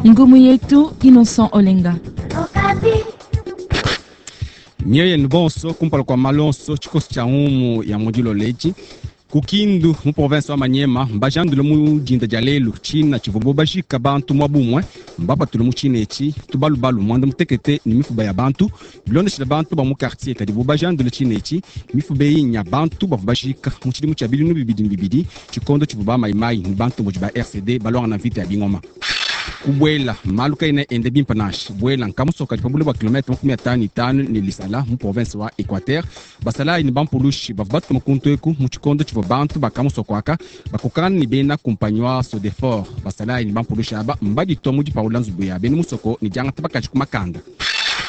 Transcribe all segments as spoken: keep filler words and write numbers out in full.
Ngumu yetu Innocent Olenga. Mioyo yenu bonso kumpala kua malonso tshikoso tshia ngumu ya mudilo ledi kukindu mu province wa Manyema mbajandule mu dinda dia lelu tshina tshivua bajika bantu mwa bumwe mbapatule mu tshina etshi tubalubalu mwanda mutekete ni mifuba ya bantu bilondeshela bantu ba mu quartier kadi bo bajandule tshina etshi mifuba eyi nya bantu bavua bajika mu tshidimu tshia bilinu bibidi ne bibidi tshikondo tshivua ba mayimayi ni bantu budi ba R C D balwanga na vita ya bingoma. Kubwela malu kaina ende bimpa nashi bwela nkamusoka di pabule bwa kilomètre makumi atanu itanu ni lisala mu province wa Equateur basalayi ni bampulushi bavua batuma kuntu eku mu tshikondo tshivua bantu bakamusokwaka bakokana ni bena kumpanyi wa Sodefor basalayi ni bampulushi aba mbaditwa mu dipaula nzubu ya bena musoko ni diangata bakaji ku makanda.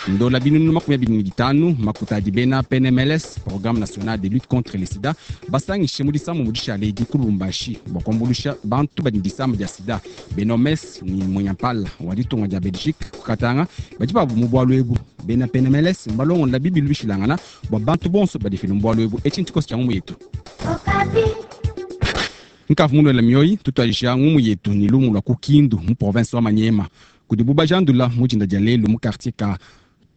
Ndola binunu makumi abidi ne bitanu makuta adi bena P N M L S Programme National de Lutte contre le Sida basangishe mu disambu mu dishale edi ku Lubumbashi bua kuambuluisha bantu badi ne disama dia sida. Benomes ni Mwenyampala wa ditunga dia Belgique ku Katanga badi babu mu bualu ebu. Bena P N M L S mbalongola bibilu bishilangana bua bantu bonso badifile mu bualu ebu. Etshi ntshikoso tshia ngumu yetu. Nkavu munwela mioyi tutuadija ngumu yetu ni lumu lwa ku Kindu mu province wa Manyema kudi bubajandula mu dinda dia lelu mu quartier ka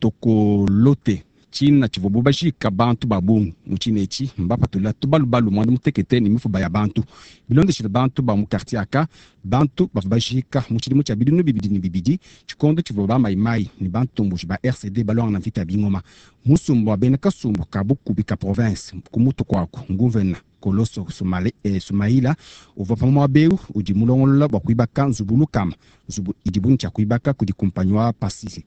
Tokolote tshina tshivua bubajika bantu ba bungi mu tshina etshi mbapatula tubalubalu mwanda mutekete ne mifuba ya bantu bilondeshile bantu ba mu quartier aka bantu bavua bajika mu tshidimu tshia bilinu bibidi ne bibidi tshikondo tshivua ba mayimayi ne bantomboji ba R C D balwanga na mvita ya bingoma musumba wa bena kasumbu ka bukubi ka province ku mutu kwaku nguvena Koloso Sumale, eh, Sumaila uvua pa muaba eu udi mulongolola bua kuibaka nzubu lukama nzubu idi bungi tshia kuibaka kudi kumpanyi wa Pasisi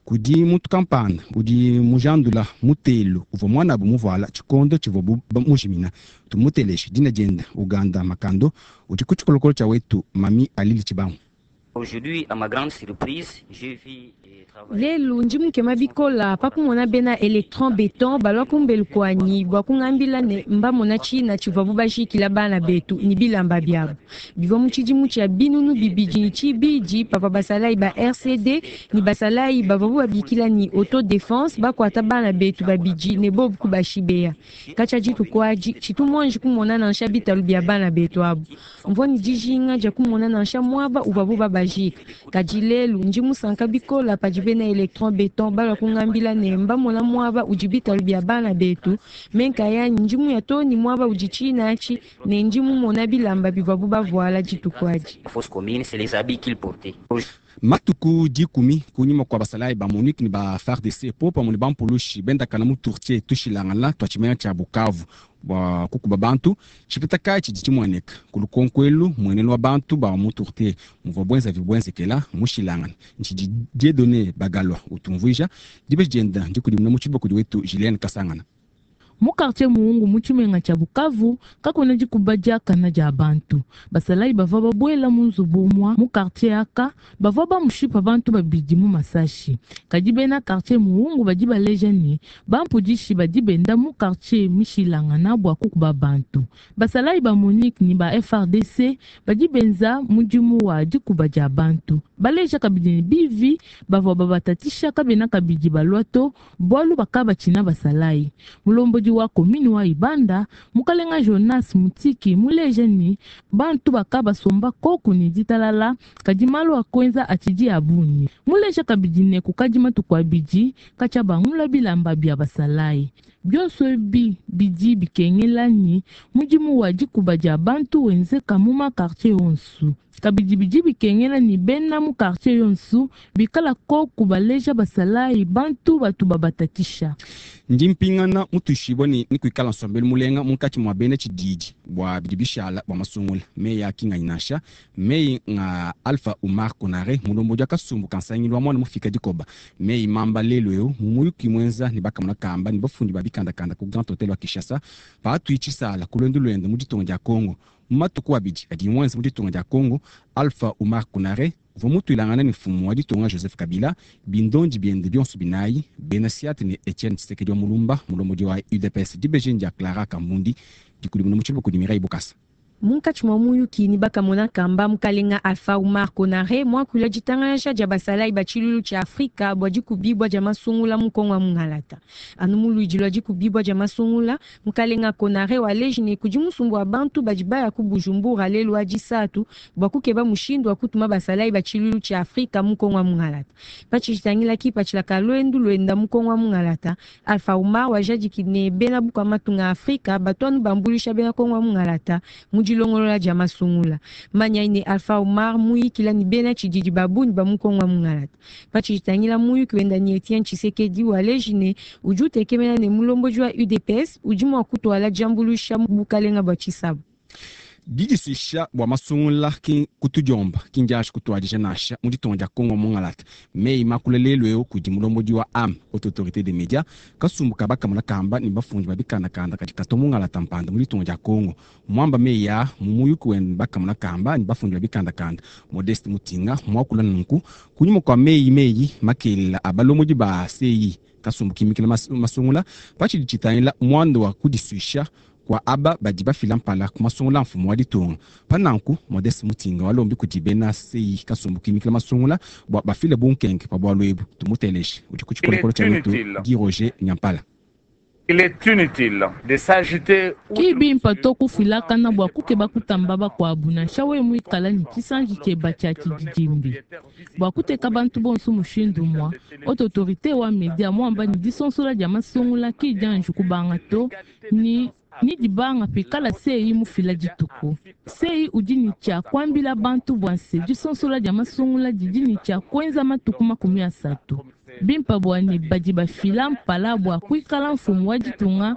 kudi muntu kampanda udi mujandula mutelu uvua mwanabu muvuala tshikondo tshivua bu-, ba-, mujimina tumuteleje dina dienda Uganda Makando udi ku tshikolokolo tshia wetu Mami Alili Tshibangu. Aujourd'hui, à ma grande surprise, j'ai vu des travailleurs. Lelu ndi mukema bikola pakumona bena electron beton balwa kumbelu kwanyi bua kungambila ne mbamona tshina tshivua bubajikila bana betu ni bilamba biabu bivua mu tshidimu tshia binunu bibidi ni tshibidi papa basalayi ba R C D ni basalayi bavua babikila ni autodéfense bakwata bana betu babidi ne bobu kubashibeya katshia dituku adi tshitu muanji kumona nansha bitalu bia bana betu abu mvua ni dijinga dia kumona nansha muaba uvuabu babajika kadi lelu ndi musanka bikola padi bena electron beton balwa kungambila ne mbamona muaba udi bitalu bia bana betu menka yanyi ndi muya to ni muaba udi tshina atshi ne ndi mumona bilamba bivuabu bavuala dituku adi. La fosse commune, c'est les habits qu'ils portaient. Matuku dikumi kunyima kwa basalayi ba MONUC ni ba F A R D C po pamwe ne bampulushi bendakana mu tourtier tushilangana twa tshimenya tshia Bukavu bua kukuba bantu tshipeta kayi tshidi tshimueneka ku lukonkwelu muenenu wa bantu ba mu tourtier muvua bwenza vibwenzekela mushilangana ntshidi Dieudonné Bagalwa utumvuija dibe dienda ndikudimuna mu tshiboko wetu Julienne Kasangana. Mu quartier Muhungu mu tshimenga tshia Bukavu kakuena dikuba diakana dia bantu basalayi bavua babuela mu nzubu umua mu quartier aka bavua bamushipa bantu babidi mu masashi kadi bena quartier Muhungu badi baleja ne bampudishi badi benda mu quartier mishilangana bua kukuba bantu basalayi ba MONUC ni ba F R D C badi benza mudimu wa dikuba dia bantu baleja kabidi ne bivi bavua babatatisha kabena kabidi balwa to bualu bakabatshina basalayi mulombodi wa komini wa Ibanda mukalenga Jonas Mutiki muleja ni bantu bakabasomba koku ni ditalala kadi malu akwenza atshidi abunyi muleja kabidi ne kukadi matuku abidi katshia bangula bilamba bia basalayi byonso ebi bidi bikengela ni mudimu wa dikuba dia bantu wenzeka mu ma quartier yonso kabidi bidi bikengela ni bena mu quartier yonso bikala koku baleja basalayi bantu batu babatatisha. Ndi mpingana mutushibwa ni, ni kuikala nsombelu mulenga munkatshi mua bena tshididi bua bidi bishala bua masungula meyi a kinganyi nansha meyi nga Alpha Oumar Konaré mulombodi wa kasumbu ka nsangilu wa mwana mufika dikoba meyi mamba lelu eu mu muyuki mwenza ni bakamona kamba ni bafundi ba bikandakanda ku Grand Hotel wa Kinshasa paatui tshisala ku luendu luende mu ditunga dia Congo mu matuku abidi adi mwenza mu ditunga dia Congo Alpha Oumar Konaré uvua mutuilangana ne mfumu wa ditunga Joseph Kabila bindondi biende bionso binayi bena Siate ne Etienne Tshisekedi wa Mulumba mulombodi wa U D P S dibeji dia Clara Kambundi dikudimuna mu tshiluba kudi Mireille Bokasa. Munkatshi mwa muyuki ni bakamona kamba mukalenga Alpha Oumar Konaré mwakula ditangalaja dia basalayi ba tshilulu tshia Afrika bua dikubibua dia masungula mu Kongo wa mungalata. Anu mu luidi lua dikubibua dia masungula, mukalenga Konaré waleji ne kudi musumbu wa bantu badi baya ku Bujumbura lelu wa disatu bua kukeba mushindu wa kutuma basalayi ba tshilulu tshia Afrika mu Kongo wa mungalata. Patshitangila kipatshila ka lwendu lwenda mu Kongo wa mungalata, Alpha Oumar wajadiki ne bena bukua matunga Afrika batu bambulisha bena Kongo wa mungalata mu dilongolola dia masungula. Manya ne Alpha Oumar muyikila ni bena tshididi babuni ba mu Kongo wa mungalata. Patshitangila muyuki wenda ni Etienne Tshisekedi waleji ne udi utekemena ne mulombodi wa U D P S udi mua kutwala diambuluisha mu bukalenga bua tshisabu. Didisuisha bua masungula ki kutudiomba kindiashi kutuadija nansha mu ditunga dia Kongo mungalata. Meyi makula lelu eu kudi mulombodi wa A M, Haute Autorité des Médias, kasumbu ka bakamona kamba ni bafundi ba bikandakanda kadi kato mungalata mpanda mu ditunga dia Kongo. Mwamba meyi ya mu muyuki wende bakamona kamba ni bafundi ba bikandakanda. Modeste Mutinga mwakula nunku kunyuma kwa meyi meyi makelela abalombodi ba C I kasumbu kimikila mas-, masungula patshidi tshitangila mwando wa kudisuisha kwa aba badi bafila mpala ku masungula mfumu wa ditunga. Pananku Modeste Mutinga walombi kudi bena C I kasumbu kimikila masungula bua bafile bunkenke pa bualu ebu. Tumuteleshe udi ku tshikolokolo tshia wetu Guy Roger Nyampala. Il est inutile de s'agiter Kibi mpato kufilakana bua kukeba kutamba bakuabu nansha we muikala ni tshisanji tshieba tshia tshididimbi. Bua kuteka bantu bonso mushindu mwa, haute autorité wa media mwamba ni disonsola dia masungula ki dianji kubanga to ni ni dibanga pikala C I mufila dituku. C I udi ni tshia kuambila bantu bua nse disonsola dia masungula didi ni tshia kuenza matuku makumi asatu. Bimpa bua ne badi bafila mpala bua kuikala mfumu wa ditunga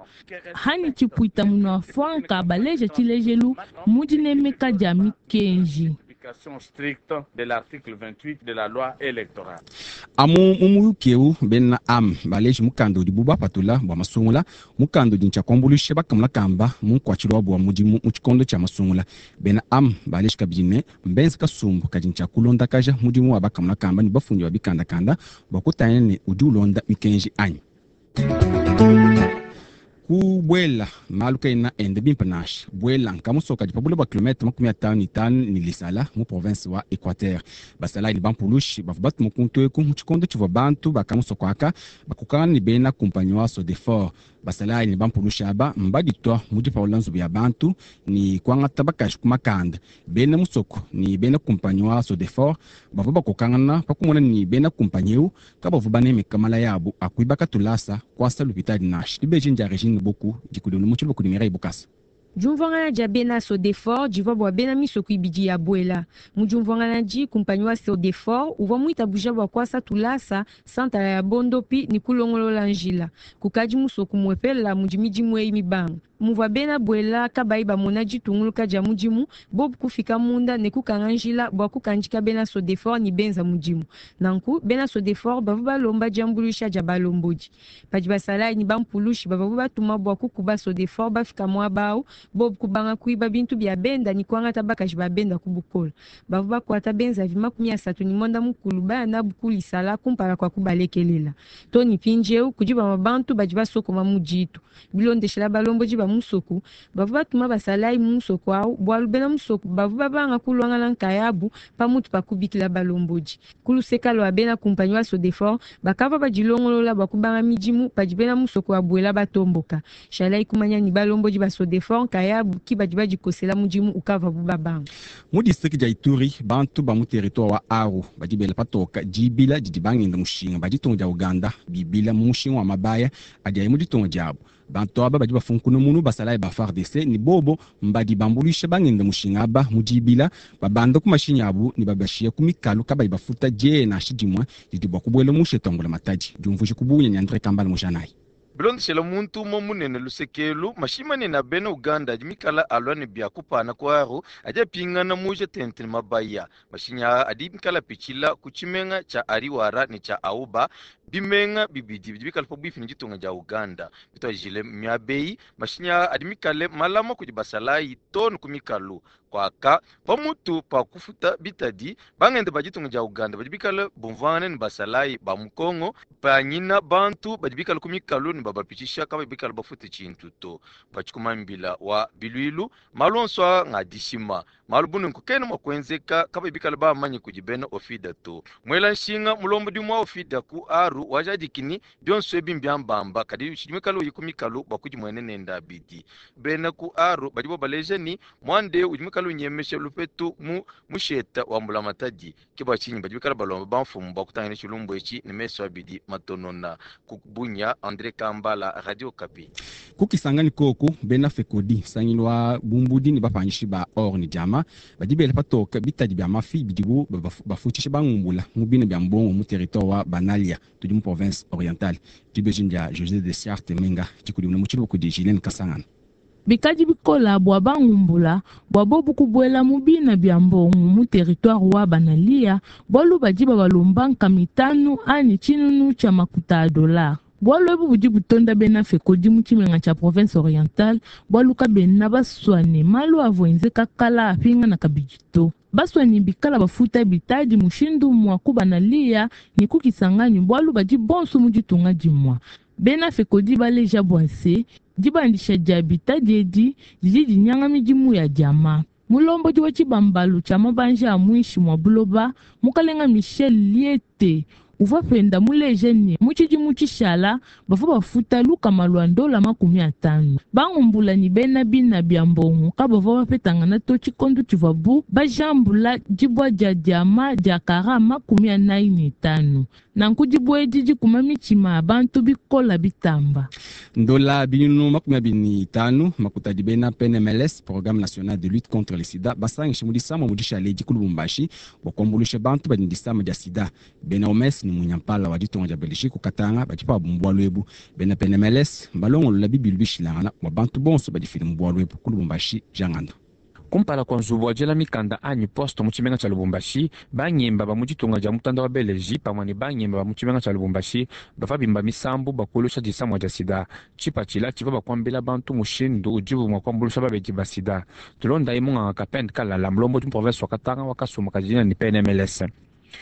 hani tshipuita munua franka baleja tshilejelu mu dinemeka dia mikenji. Application stricte de l'article vingt-huit de la loi électorale. Amu mumuyuki eu bena am baleji mukanda udi buba patula bua masungula mukanda udi ntshia kuambuluisha bakamona kamba mu nkuatshilo wa bua mudimu mu tshikondo tshia masungula. Bena am baleji kabidi ne mbenze kasumbu kadi ntshia kulondakaja mudimu wa bakamona kamba ne bafundi ba bikandakanda bua kutangila ne udi ulonda mikenji anyi. Kubwela malu kaena ende bimpe nansha. Bwela nkamusoka di pabula bua kilomètre makumi atanu ne itanu ne lisala mu province wa Équateur. Basalayi ne bampulushi bavua batuma kuntu eku mu tshikondo tshivua bantu bakamusoko aka bakokangana ne bena kumpanyi wa Sodefor. Basalayi ne bampulushi aba mbaditua mu dipaula nzubu ya bantu ne kuangata bakaji ku makanda. Bena musoko ne bena kumpanyi wa Sodefor bavua bakokangana pa kumona ne bena kumpanyi eu kabavua banemeka mala yabu akuibaka tulasa kuasa lupitadi nansha. Dibeji ndia Regine Boku dikudunu mu tshiluba kudi Mireille Bukasa. Diumvuangana dia bena Sodefor divua bua bena misoko ibidi ya Bwela. Mu diumvuangana di kumpanyi wa Sodefor uvua muitabuja bua kuasa tulasa santala ya Bondopi ni kulongolola njila. Kukadi musoko muepela mudi midimu eyi mibanga. Muvua bena Bwela kabayi bamona ditunguluka dia mudimu, bobu kufika munda ne kukanga njila bua kukandika bena Sodefor ni benza mudimu. Nanku bena Sodefor bavua balomba diambuluisha dia balombodi. Padi basalayi ni bampulushi bavua batuma bua kukuba Sodefor bafika muaba awu, bobu kubanga kuiba bintu bia benda ni kuangata bakaji ba benda ku bukolo. Bavua bakuata benza vi makumi asatu ni mwanda mukulu baya nabu kulisala kumpala kwa kubalekelela. Tony Pinjeu kudi bama bantu badi basokoma mu ditu. Bilondeshela balombodi ba musoko, bavua batuma basalayi mu musoko awu, bualu bena musoko bavua babanga kulwangana nkayabu pamutu pa kubikila balombodi. Kuluseka lwa bena kumpanyi wa Sodefor, bakava badilongolola bua kubanga midimu padi bena musoko wa Bwela batomboka. Shalai kumanya ni balombodi ba Sodefor nkayabu ki badi badikosela mudimu ukava bu babanga. Mu district dia Ituri, bantu ba mu territoire wa Aru badi bela patoka dibila didi bangenda mushinga ba ditunga dia Uganda bibila mu mushinga wa mabaya adi ayi mu ditunga diabu. Bantu aba badi bafunkuna munu basalayi ba F A R D C ni bobo mbadi bambuluisha bangenda mushinga aba mu dibila babanda ku mashinyi abu ni babashia ku mikalu kabayi bafuta die nansha dimue didi bua kubuela mu shetongola matadi. Diumvuije kubunya ni Andre Kambala Mujanayi. Bilondeshela muntu umue munene lusekelu, mashima ne na bena Uganda adi mikala alua ne bia kupana ku Aru, adi apingana muje tente ne mabaya. Mashinyi aa adi mikala pitshila ku tshimenga tshia Ariwara ne tshia Auba, bimenga bibidi bidi bikala pabuipi ne ditunga dia Uganda. Bituajile miabeyi, mashinyi aa adi mikale malama kudi basalayi tonu ku mikalu. Kwaka, pamutu pa kufuta bitadi, bangende ba ditunga dia Uganda badi bikale bumvuangane ne basalayi ba mu Congo, panyina bantu badi bikale ku mikalu ne ne babapitisha kabayi bikala bafute tshintu to. Batshikumambila wa bilwilu malu onso aa nga dishima malu bununku kena mua kuenzeka kabayi bikala bamanye kudi bena ofida to. Mwela nshinga mulombodi mwa ofida ku aru wajadikini bionso ebi mbyambamba kadi tshidi mikalo uyi ku mikalu bua kudimuene nenda abidi. Bena ku aru badi babaleja ni mwande udi mikalo unyemesha lupetu mu musheta wa mbulamatadi ke bua tshinyi badi bikala balomba bamfumu bua kutangila tshilumbu etshi ne meso abidi matonona. Ku Bunia, André Kambala, Radio Okapi. Kukisangani koku bena FECODI nsangilu wa bumbudi ne bapanyishi ba or ne diama badi bela patoka bitadi bia mafi bidibu bafutshisha bangumbula mu bina bia mbongo mu territoire wa Banalia tudi mu province orientale. Dibeji dia José de Siarte Menga dikudimuna mu tshiluba kudi Julien Kasangana. Bikadi bikola bua bangumbula bua bobu kubuela mu bina bia mbongo mu territoire wa Banalia bualu badi babalomba nkama itanu anyi tshinunu tshia makuta a dollar. Bualu ebu budi butonda bena FECODI mu tshimenga tshia province orientale bualu kabena baswane malu avua enzeka kala apingana kabidi to. Baswani bikala bafuta bitadi mushindu mua kubanalia ne kukisanganyi bualu badi bonso mu ditunga dimua. Bena FECODI baleja bua se dibandisha dia bitadi edi didi dinyanga midimu ya diama. Mulombodi wa tshibambalu tshia mabanja a muinshi mua buloba mukalenga Michel Liete uvua penda muleje ne mu tshidimu tshishala bavua bafuta lukama lua ndola makumi atanu. Bangumbula ni bena bina bia mbongo kabavua bapetangana to tshikondo tshivuabu bajambula dibua dia diama dia kara makumi anayi ne itanu. Nanku dibua edi dikuma mitshima ya bantu bikola bitamba. Ndola binunu makumi abidi ne itanu makuta adi bena P N M L S, Programme National de Lutte contre le Sida, basangishe mu disama mu dishale di ku Lubumbashi bua kuambuluisha bantu badi ne disama dia sida. Bena O M S ni munyampala wa ditunga dia Belgique kukatanga badi pabu mu bualu ebu. Bena P N M L S mbalongolola bibilu bishilangana bua bantu bonso badifile mu bualu ebu ku Lubumbashi. Jangando. Kumpala kwa nzubu wa diela mikanda anyi poste mu tshimenga tshia Lubumbashi, banyemba ba mu ditunga dia mutanda wa Belgique pamue ne banyemba ba mu tshimenga tshia Lubumbashi bavua bimba misambu bakulusha disamwa dia sida. Tshipatshila tshivua bakuambila bantu mushindu udibu mua kuambulusha babedi ba sida. Tulonda imunganga Kapende Kalala, mulombodi mu province wa Katanga wakasuma kadina ni P N M L S.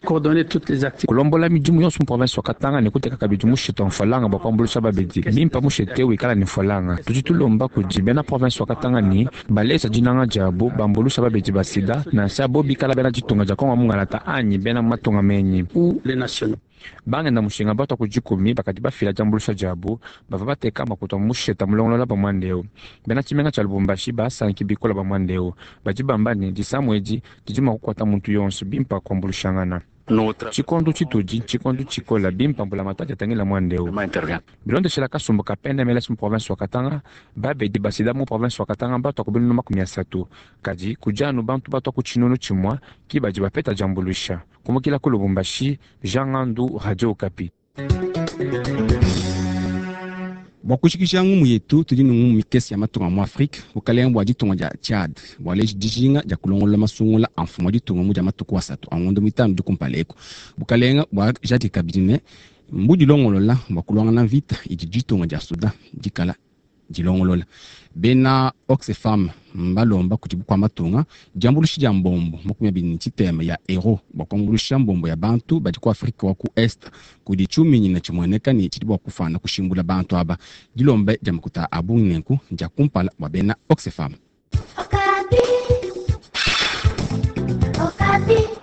Coordonner toutes les activités. Kulombola midimu yonso mu province wa Katanga ne kuteka kabidi mushito mfolanga bua kuambulusha babedi. Bimpa mushete wikala ne mfolanga. Tudi tulomba kudi bena province wa Katanga ni balesa dinanga diabo bambulusha babedi ba sida nansha bo bikala bena ditunga dia Kongo mungalata anyi bena matunga menyi. Ou les nationaux. Bangenda mushinga bato kujikumi bakati bafila jambulusha diabo bava bateka makuta musheta mulongolola ba mwandeo. Bena tshimenga tshia Lubumbashi basanki bikola ba mwandeo. Badi bamba ne disamu edi didi mua kukwata muntu yonso bimpa kuambulushangana. Tshikondo tshitudi tshikondo tshikola bimpa mbula matata tangila mwandeo. Bilondeshela kasumbu ka P N M L S mu province wa Katanga, babedi basida mu province wa Katanga bato kubinu makumi asatu. Kadi kujanu bantu bato ku tshinunu tshimwa ki badi bapeta jambulusha. Kumukila ku Lubumbashi, Jean Ngandu, Radio Okapi. Bua kushikisha ngumu yetu tudi ne ngumu mikese ya matunga mu Afrika, bukalenga bua ditunga dia Tchad bualeji dijinga dia kulongolola masungula a mfumu wa ditunga mu dia matuku asatu a ngondo mitanu dikumpala eku. Bukalenga bua jadika kabidi ne mbudilongolola bua kulwangana mvita idi ditunga dia Sudan dikala dilongolola. Bena Oxfam mbalomba kudi bukua matunga diambuluisha dia mbombo makumi abidi ne tshitema ya euro bua kuambuluisha mbombo ya bantu badi ku Afrika wa ku Est kudi tshiuminyina tshimueneka ne tshidi bua kufana kushimbula bantu aba. Dilomba dia makuta a bungi nenku dia kumpala bua bena Oxfam. Okapi. Okapi.